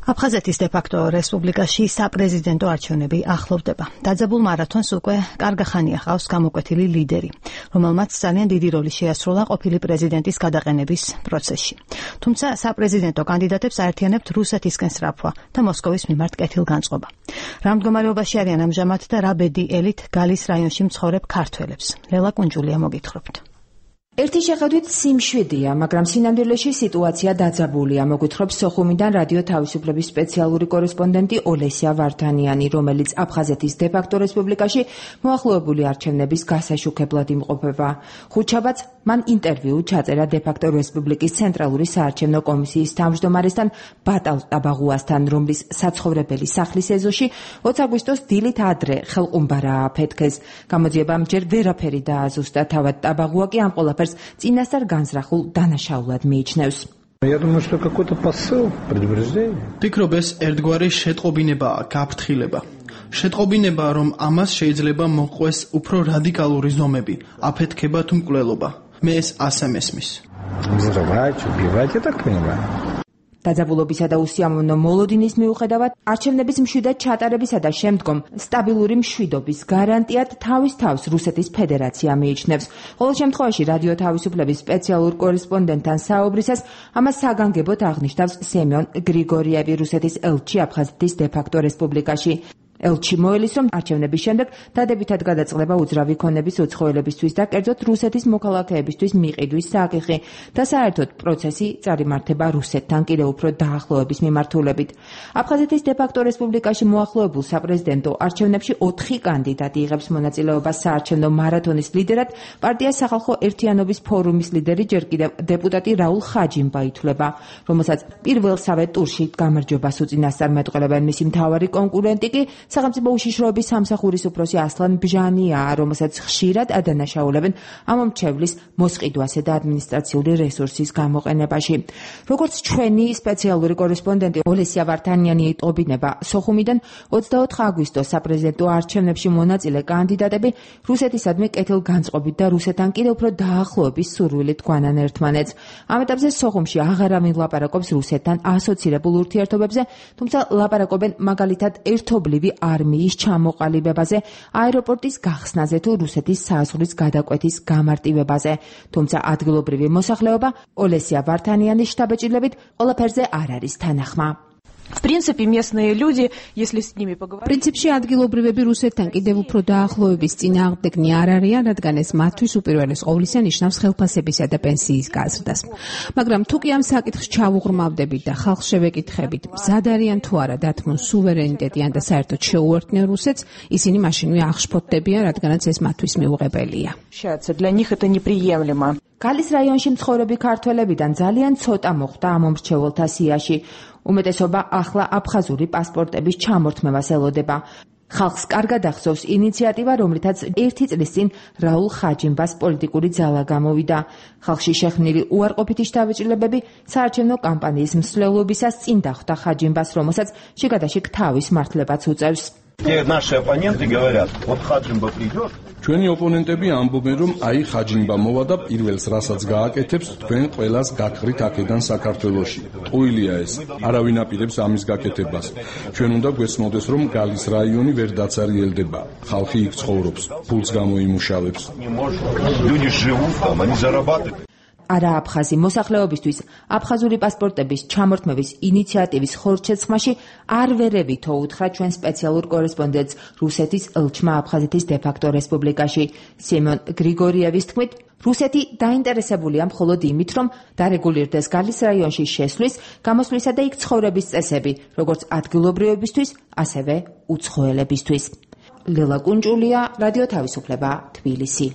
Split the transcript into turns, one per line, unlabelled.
აფხაზეთის დე-ფაქტო რესპუბლიკაში საპრეზიდენტო არჩევნები ახლოვდება. დაძაბულ მარათონს უკვე კარგა ხანია ხავს გამოკვეთილი ლიდერი, რომელმაც ძალიან დიდი როლი შეასრულა ყოფილი პრეზიდენტის გადაყენების პროცესში. თუმცა საპრეზიდენტო კანდიდატებს აერთიანებთ რუსეთისკენ სრაფვა და მოსკოვის მიმართ კეთილგანწყობა. რა მდგომარეობაში არიან ამჟამად და რა ბედი ელით გალის რაიონში მცხოვრებ ქართველებს? ლელა კუნჯულია მოგითხრობთ.
ერთი შეხედვით სიმშვიდეა, მაგრამ სინამდვილეში სიტუაცია დაძაბულია, მოგვითხრობს სოხუმიდან რადიო თავისუფლების სპეციალური კორესპონდენტი ოლესია ვართანიანი, რომელიც აფხაზეთის დე-ფაქტო რესპუბლიკაში მოახლოებული არჩევნების გასაშუქებლად იმყოფება. ხუთშაბათს მან ინტერვიუ ჩაწერა დე-ფაქტო რესპუბლიკის ცენტრალური საარჩევნო კომისიის თავმჯდომარესთან ბატალ ტაბაღუასთან, რომლის საცხოვრებელი სახლის ეზოში 20 აგვისტოს დილით ადრე ხელყუმბარა აფეთქეს. გამოძიებამ ჯერ ვერაფერი დააზუსტა, თავად ტაბაღუა კი ამ ყველაფერს წინასწარ განზრახულ დანაშაულად მიიჩნევს.
Я думаю, что какой-то посыл, предупреждение.
Ფიქრობ ეს ერთგვარი შეტყობინებაა, გაფრთხილება. შეტყობინება, რომ ამას შეიძლება მოყვეს უფრო რადიკალური ზომები, აფეთქება თუ მკვლელობა. მე ეს ასე მესმის.
Взрывать, убивать, я так понимаю.
დაძაბულობისა და უსიამოვნო მოლოდინის მიუხედავად, არჩევნების მშვიდად ჩატარებისა და შემდგომ სტაბილური მშვიდობის გარანტიად თავის თავს რუსეთის ფედერაცია მიიჩნევს. ყოველ შემთხვევაში რადიო თავისუფლების სპეციალურ კორესპონდენტთან საუბრისას ამას საგანგებოდ აღნიშნავს სემიონ გრიგორიევი, რუსეთის ელჩი აფხაზეთის დე-ფაქტო რესპუბლიკაში. ელჩი მოელის, რომ არჩევნების შემდეგ დადებითად გადაწყდება უძრავი ქონების უცხოელებისთვის და კერძოდ რუსეთის მოქალაქეებისთვის მიყიდვის საკითხი და საერთოდ პროცესი წარიმართება რუსეთთან კიდევ უფრო დაახლოების მიმართულებით. აფხაზეთის დე-ფაქტო რესპუბლიკაში მოახლოებულ საპრეზიდენტო არჩევნებში 4 კანდიდატი იღებს მონაწილეობას საარჩევნო მარათონის ლიდერად. პარტია სახალხო ერთიანობის ფორუმის ლიდერი ჯერ კიდევ დეპუტატი რაულ ხაჯიმბა ითვლება, რომელსაც პირველსავე ტურში გამარჯვებას უწინასწარმეტყველებენ. მისი მთავარი კონკურენტი კი სახელმწიფო უშიშროების სამსახურის უფროსი ასლან ბჟანიაა, რომელსაც ხშირად ადანაშაულებენ ამომრჩევლის მოსყიდვასა და ადმინისტრაციული რესურსის გამოყენებაში. როგორც ჩვენი სპეციალური კორესპონდენტი ოლესია ვართანიანი იტყობინება, სოხუმიდან 24 აგვისტოს საპრეზიდენტო არჩევნებში მონაწილე კანდიდატები რუსეთისადმი კეთილგანწყობით და რუსეთთან კიდევ უფრო დაახლოების სურვილით გვანან ერთმანეთს. ამ ეტაპზე სოხუმში აღარავინ ლაპარაკობს რუსეთთან ასოცირებულ ურთიერთობებზე, თუმცა ლაპარაკობენ მაგალითად ერთობლივი არმიის ჩამოყალიბებაზე, აეროპორტის გახსნაზე თუ რუსეთის საზღვრის გადაკვეთის გამარტივებაზე. თუმცა ადგილობრივი მოსახლეობა ოლესია ვართანიანის შთაბეჭდილებით ყველაფერზე არ არის თანახმა.
В принципе, местные люди, если с ними поговорить...
პრინციპში ადგილობრივები რუსეთთან კიდევ უფრო დაახლოების წინააღმდეგნი არ არიან, რადგან ეს მათთვის უპირველეს ყოვლისა ნიშნავს ხელფასებისა და პენსიის გაზრდას. მაგრამ თუ კი ამ საკითხს ჩავუღრმავდებით და ხალხს შევეკითხებით, მზად არიან თუ არა დათმონ სუვერენიტეტი ან და საერთოდ შეუერთდნენ რუსეთს, ისინი მაშინვე აღშფოთდებიან, რადგანაც ეს მათთვის მიუღებელია.
Для них это неприемлемо.
გალის რაიონში მცხოვრები ქართველებიდან ძალიან ცოტა მოხვდა ამომრჩეველთა სიაში. უმეტესობა ახლა აფხაზური პასპორტების ჩამორთმევას ელოდება. ხალხს კარგად ახსოვს ინიციატივა, რომლითაც 1 წლის წინ რაულ ხაჯიმბას პოლიტიკური ძალა გამოვიდა. ხალხში შექმნილი უარყოფითი შთაბეჭდილებები საარჩევნო კამპანიის მსვლელობისას წინ დახვდა ხაჯიმბას, რომელსაც შიგადაშიგ თავის მართლებაც უწევს.
Наши оппоненты говорят, вот Хаджимба придет.
ჩვენი ოპონენტები ამბობენ, რომ აი ხაჯიმბა მოვა და პირველს რასაც გააკეთებს, თქვენ ყველას გაქრით აქედან საქართველოში. ტყუილია ეს. არავინ აპირებს ამის გაკეთებას. ჩვენ უნდა გვესმოდეს, რომ გალის რაიონი ვერ დაცარიელდება. ხალხი იქ ცხოვრობს, ფულს გამოიმუშავებს.
Люди живут там, они зарабатывают.
არა აფხაზი მოსახლეობისთვის აფხაზური პასპორტების ჩამორთმევის ინიციატივის ხორცეცხმაში არ ვერევითო უთხრა ჩვენ სპეციალურ კორესპონდენტს რუსეთის ელჩმა აფხაზეთის დე-ფაქტო რესპუბლიკაში. სემიონ გრიგორიევის თქმით, რუსეთი დაინტერესებულია მხოლოდ იმით, რომ დარეგულირდეს გალის რაიონში შესვლის, გამოსვლისა და იქ ცხოვრების წესები, როგორც ადგილობრივებისთვის, ასევე უცხოელებისთვის. ლელა კუნჯულია, რადიო თავისუფლება, თბილისი.